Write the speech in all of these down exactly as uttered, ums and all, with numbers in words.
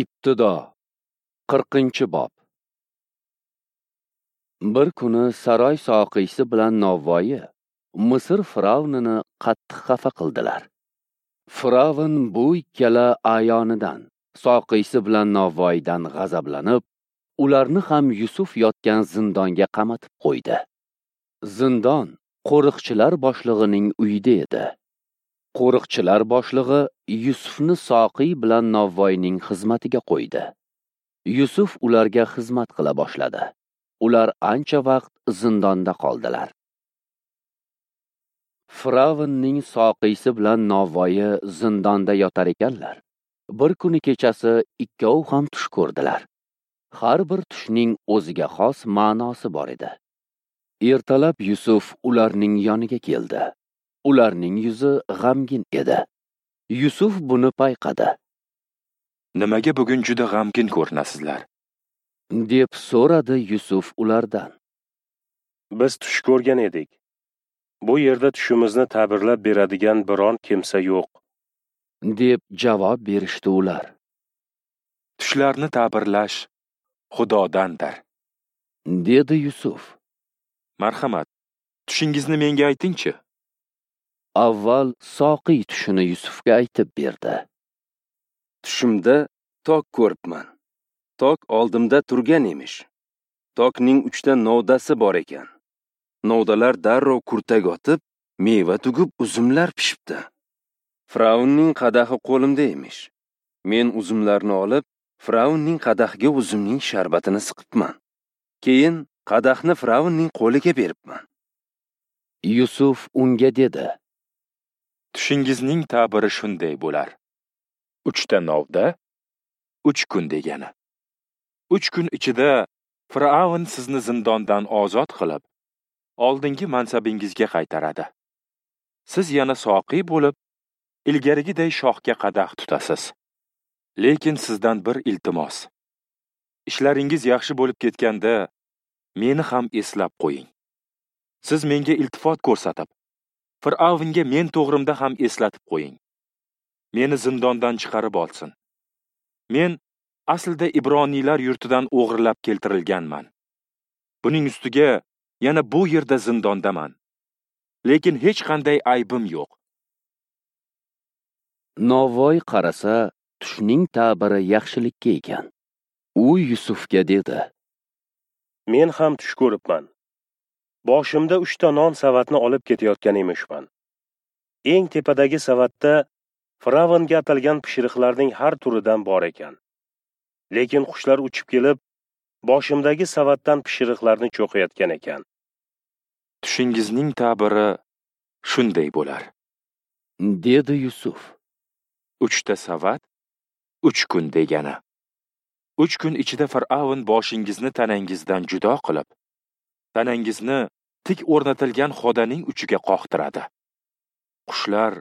Ibtido qirqinchi bob. Bir kuni saroy soqiysi bilan novvoyi Misr firavnini qattiq xafa qildilar. Firavn bu ikkala ayonidan, soqiysi bilan novvoyidan g'azablanib, ularni ham Yusuf yotgan zindonga qamatib qo'ydi. Zindon qo'riqchilar boshlig'ining uyida edi. Qo'riqchilar boshlig'i Yusufni soqiy bilan novvoyning xizmatiga qo'ydi. Yusuf ularga xizmat qila boshladi. Ular ancha vaqt zindonda qoldilar. Firavnning soqiysi bilan novvoyi zindonda yotar ekanlar. Bir kuni kechasi ikkovi ham tush ko'rdilar. Har bir tushning o'ziga xos ma'nosi bor edi. Ertalab Yusuf ularning yoniga keldi. Ularning yuzi g'amgin edi. Yusuf buni payqadi. Nimaga bugun juda g'amgin ko'rinasizlar? Deb so'radi Yusuf ulardan. Biz tush ko'rgan edik. Bu yerda tushimizni ta'birlab beradigan biron kimsa yo'q, deb javob berishdi ular. Tushlarni ta'birlash Xudodandir, dedi Yusuf. Marhamat, tushingizni menga aytingchi. Avval soqiy tushini Yusufga aytib berdi. Tushimda tok ko'ribman. Tok oldimda turgan emish. Tokning uchta novdasi bor ekan. Novdalar darrov kurtak otib, meva tugib, uzumlar pishibdi. Firavnning qadahi qo'limda emish. Men uzumlarni olib, Firavnning qadahiga uzumning sharbatini siqibman. Keyin qadahni Firavnning qo'liga beribman. Yusuf unga dedi: Tushingizning ta'biri shunday bo'lar. Uchta novda uch kun degani. Uch kun ichida Firavn sizni zindondan ozod qilib, oldingi mansabingizga qaytaradi. Siz yana soqiy bo'lib, ilgarigiday shohga qadah tutasiz. Lekin sizdan bir iltimos. Ishlaringiz yaxshi bo'lib ketganda meni ham eslab qo'ying. Siz menga iltifot ko'rsatib, Firavnga men to'g'rimda ham eslatib qo'ying. Meni zindondan chiqarib olsin. Men aslida Ibroniylar yurtidan o'g'irlab keltirilganman. Buning ustiga yana bu yerda zindondaman. Lekin hech qanday aybim yo'q. Novvoy qarasa, tushning ta'biri yaxshilikka ekan. U Yusufga dedi: Men ham tush ko'ribman. Boshimda uchta non savatni olib ketayotgan emishman. Eng tepadagi savatda Firavnga atalgan pishiriqlarning har turidan bor ekan. Lekin qushlar uchib kelib, boshimdagi savatdan pishiriqlarni cho'qiyotgan ekan. Tushingizning ta'biri shunday bo'lar, dedi Yusuf. Uchta savat uch kun degani. Uch kun ichida Firavn boshingizni tanangizdan judo qilib, tanangizni tik o'rnatilgan xodaning uchiga qoqtiradi. Qushlar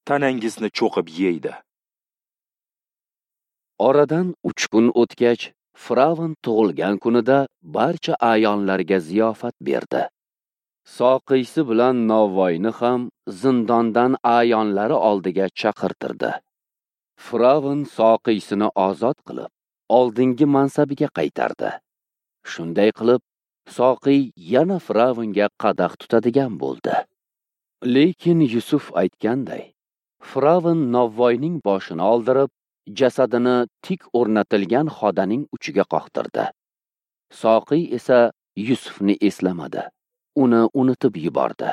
tanangizni cho'qib yeydi. Oradan uch kun o'tgach, Firavn tug'ilgan kunida barcha a'yonlarga ziyofat berdi. Soqiysi bilan novvoyni ham zindondan a'yonlari oldiga chaqirtirdi. Firavn soqiysini ozod qilib, oldingi mansabiga qaytardi. Shunday qilib, soqiy yana Firavnga qadah tutadigan bo'ldi. Lekin Yusuf aytganday, Firavn novvoyning boshini oldirib, jasadini tik o'rnatilgan xodaning uchiga qoqtirdi. Soqiy esa Yusufni eslamadi, uni unutib yubordi.